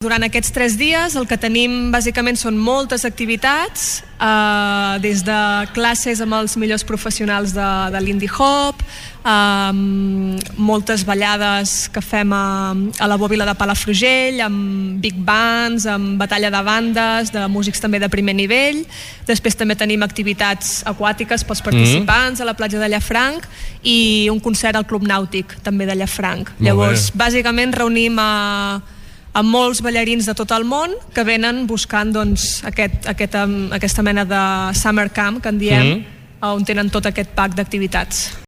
Durant aquests 3 dies el que tenim bàsicament són moltes activitats, des de classes amb els millors professionals de l'indie hop, moltes ballades que fem a la Bòbila de Palafrugell, amb big bands, amb batalla de bandes, de músics també de primer nivell. Després també tenim activitats aquàtiques pels participants a la platja de Llafranc i un concert al Club Nàutic també de Llafranc. Llavors, bàsicament reunim amb molts ballarins de tot el món que venen buscant aquesta mena de summer camp que en diem, on tenen tot aquest pack d'activitats.